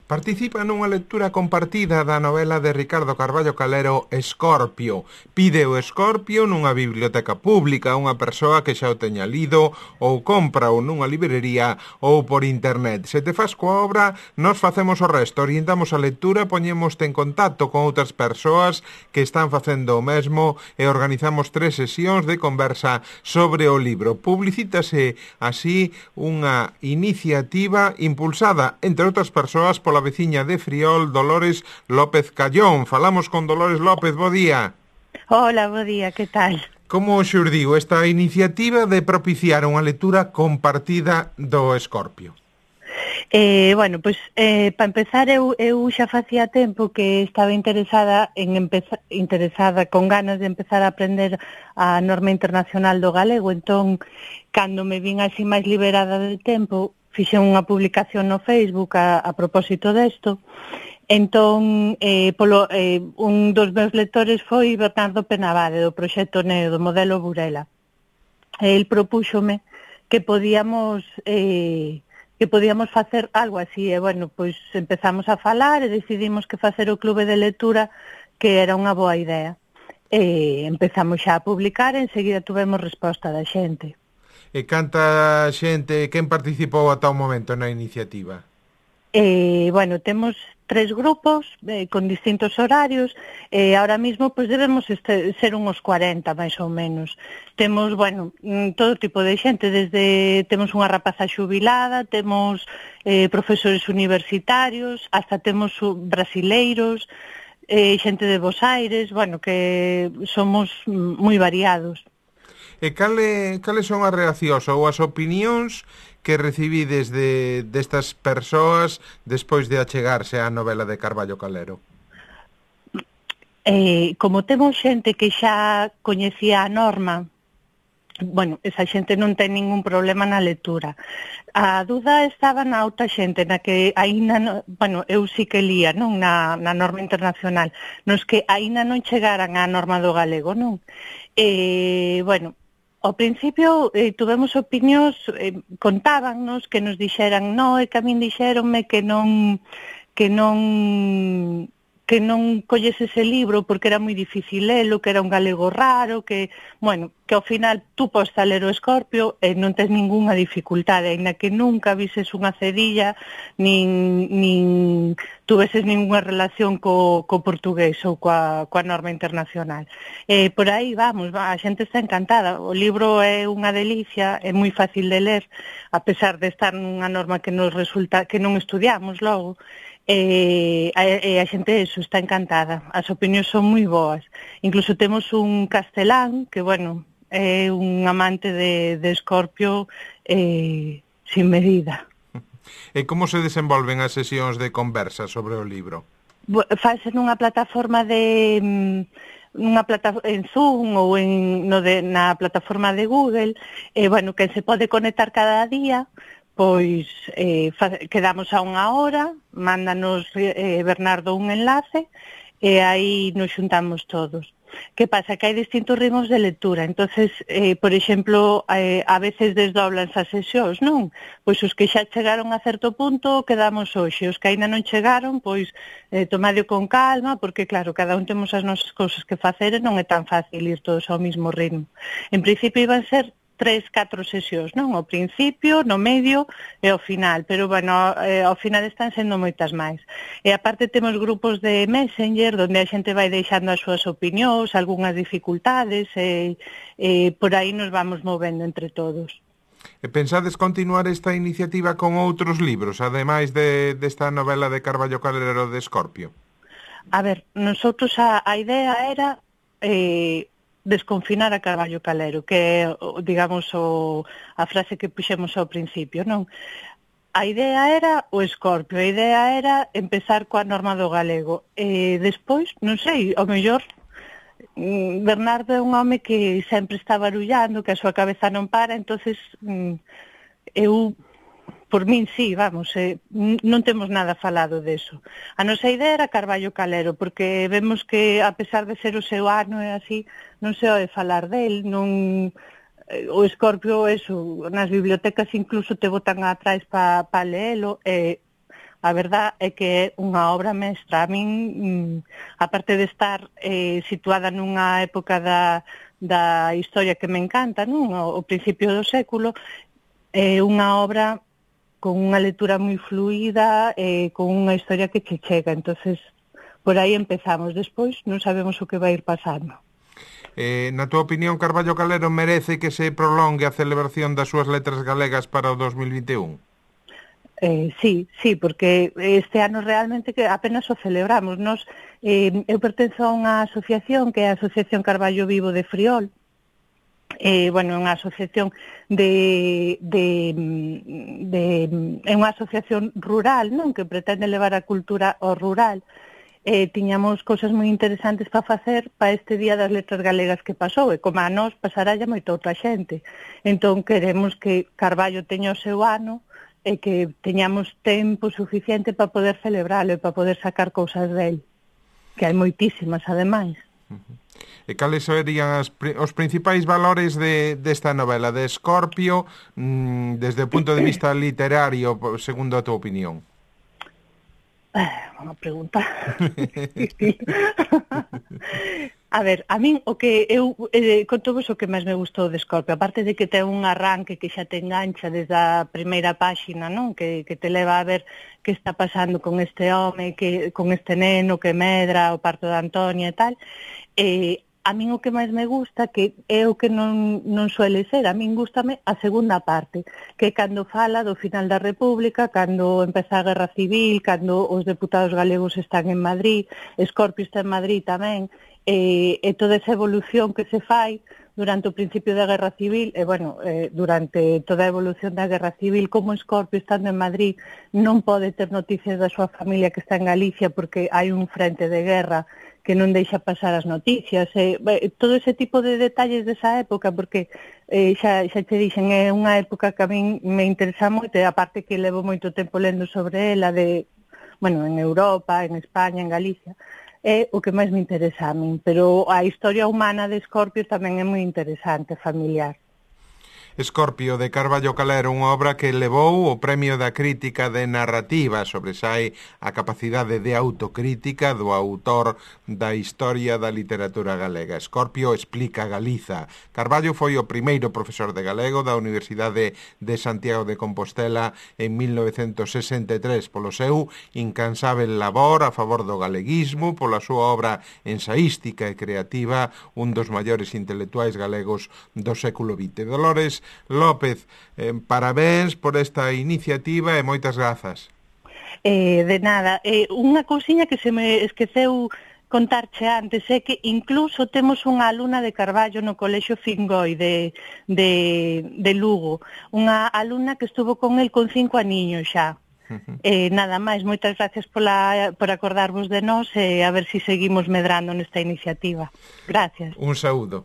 Participa nunha lectura compartida da novela de Ricardo Carballo Calero Escorpio. Pide o Escorpio nunha biblioteca pública a unha persoa que xa o teña lido ou compra-o nunha librería ou por internet. Se te faz coa obra, nos facemos o resto, orientamos a lectura, poñémoste en contacto con outras persoas que están facendo o mesmo e organizamos 3 sesións de conversa sobre o libro. Publicítase así unha iniciativa impulsada, entre outras persoas, pola veciña de Friol, Dolores López Callón. Falamos con Dolores López, bo día. Hola, bo día, que tal? Como xurdiu esta iniciativa de propiciar unha lectura compartida do Escorpio? Bueno, pois, para empezar, eu xa facía tempo que estaba interesada con ganas de empezar a aprender a norma internacional do galego, entón, cando me vin así máis liberada del tempo, fixen unha publicación no Facebook a propósito desto. Entón, un dos meus lectores foi Bernardo Penabade, do proxecto NEO, do modelo Burela. El propúxome que podíamos facer algo así, e, bueno, pois empezamos a falar e decidimos que facer o clube de lectura que era unha boa idea. Empezamos xa a publicar e enseguida tuvemos resposta da xente. E canta xente, quen participou ata o momento na iniciativa? Bueno, temos 3 grupos con distintos horarios e ahora mismo pois debemos ser uns 40 máis ou menos. Temos, bueno, todo tipo de xente, temos unha rapaza xubilada, temos profesores universitarios, hasta temos brasileiros, xente de Bos Aires, bueno, que somos moi variados. E cales son as reaccións ou as opinións que recibides destas persoas despois de achegarse á novela de Carballo Calero? Como temos xente que xa coñecía a norma, bueno, esa xente non ten ningún problema na lectura. A duda estaba na outra xente, na que aínda, bueno, eu sí que lía, non, na norma internacional, nos que aínda non chegaran á norma do galego, non? Bueno, ao principio tuvemos opinións, contábannos que nos dixeran, no, é que a min dixéronme que non colles ese libro porque era moi difícil lelo, que era un galego raro, que, bueno, que ao final tú podes ler o Escorpio e non tens ningunha dificultade, aínda que nunca vises unha cedilla, nin tuveses ningunha relación co portugués ou coa norma internacional. Por aí vamos, a xente está encantada. O libro é unha delicia, é moi fácil de ler, a pesar de estar nunha norma que nos resulta que non estudiamos logo. A xente está encantada, as opinións son moi boas. Incluso temos un castelán que, bueno, é un amante de Escorpio sin medida. E como se desenvolven as sesións de conversa sobre o libro? Fase nunha plataforma en Zoom ou na plataforma de Google, bueno, que se pode conectar cada día. Pois quedamos a unha hora, mándanos Bernardo un enlace e aí nos xuntamos todos. Que pasa? Que hai distintos ritmos de lectura, entonces, por exemplo, a veces desdoblanse as sesións, non? Pois os que xa chegaron a certo punto quedamos hoxe, os que aínda non chegaron, pois tomadio con calma, porque claro, cada un temos as nosas cousas que facer e non é tan fácil ir todos ao mismo ritmo. En principio iban ser 3-4 sesións, non? Ao principio, no medio e ao final, pero, bueno, ao final están sendo moitas máis. E aparte temos grupos de Messenger, onde a xente vai deixando as súas opinións, algunhas dificultades, e por aí nos vamos movendo entre todos. E pensades continuar esta iniciativa con outros libros, ademais desta novela de Carballo Calero de Escorpio? A ver, nosotros a idea era desconfinar a Carballo Calero, que é, digamos, a frase que puxemos ao principio, non? A idea era o Escorpio, a idea era empezar coa norma do galego. E despois, non sei, ao mellor, Bernardo é un home que sempre está barullando, que a súa cabeza non para, entonces eu, por min, sí, vamos, non temos nada falado deso. A nosa idea era Carballo Calero, porque vemos que, a pesar de ser o seu ano e así, non se ode falar del, non... O Escorpio, eso, nas bibliotecas incluso te botan atrás para leelo, e a verdad é que é unha obra mestra. A min, aparte de estar situada nunha época da historia que me encanta, non? O principio do século, é unha obra con unha lectura moi fluida, con unha historia que che chega. Entonces, por aí empezamos. Despois non sabemos o que vai ir pasando. Na túa opinión, Carballo Calero merece que se prolongue a celebración das súas letras galegas para o 2021? Sí, porque este ano realmente que apenas o celebramos. Eu pertenzo a unha asociación que é a Asociación Carballo Vivo de Friol. É unha asociación é unha asociación rural, non, que pretende levar a cultura ao rural. Tiñamos cousas moi interesantes para facer para este Día das Letras Galegas que pasou, e como a nós pasaralla moita outra xente. Entón queremos que Carballo teña o seu ano e que teñamos tempo suficiente para poder celebralo e para poder sacar cousas del, que hai moitísimas, ademais. E cales serían os principais valores desta novela de Escorpio desde o punto de vista literario, segundo a tua opinión? Unha pregunta. A ver, a min o que eu conto vos o que máis me gustou de Escorpio, aparte de que ten un arranque que xa te engancha desde a primeira páxina, non? Que te leva a ver que está pasando con este home, con este neno que medra o parto de Antonia e tal. A min o que máis me gusta, que é o que non suele ser, a min gústame a segunda parte, que é cando fala do final da República, cando empeza a Guerra Civil, cando os deputados galegos están en Madrid, Escorpio está en Madrid tamén, e toda esa evolución que se fai durante o principio da Guerra Civil, durante toda a evolución da Guerra Civil, como Escorpio, estando en Madrid, non pode ter noticias da súa familia que está en Galicia porque hai un frente de guerra que non deixa pasar as noticias, todo ese tipo de detalles desa época, porque xa te dixen, é unha época que a min me interesa moito, e aparte que levo moito tempo lendo sobre ela, en Europa, en España, en Galicia, é o que máis me interesa a min, pero a historia humana de Escorpio tamén é moi interesante, familiar. Escorpio, de Carballo Calero, unha obra que levou o Premio da Crítica de Narrativa, sobresae a capacidade de autocrítica do autor da historia da literatura galega. Escorpio explica Galiza. Carballo foi o primeiro profesor de galego da Universidade de Santiago de Compostela en 1963 polo seu incansável labor a favor do galeguismo, pola súa obra ensaística e creativa, un dos maiores intelectuais galegos do século XX. Dolores López, parabéns por esta iniciativa e moitas grazas. De nada. Unha cousiña que se me esqueceu contarche antes é que incluso temos unha alumna de Carballo no Colexio Fingoi de Lugo, unha alumna que estuvo con el con 5 aniños xa. Nada máis, moitas gracias por acordarvos de nós e a ver se seguimos medrando nesta iniciativa. Gracias. Un saúdo.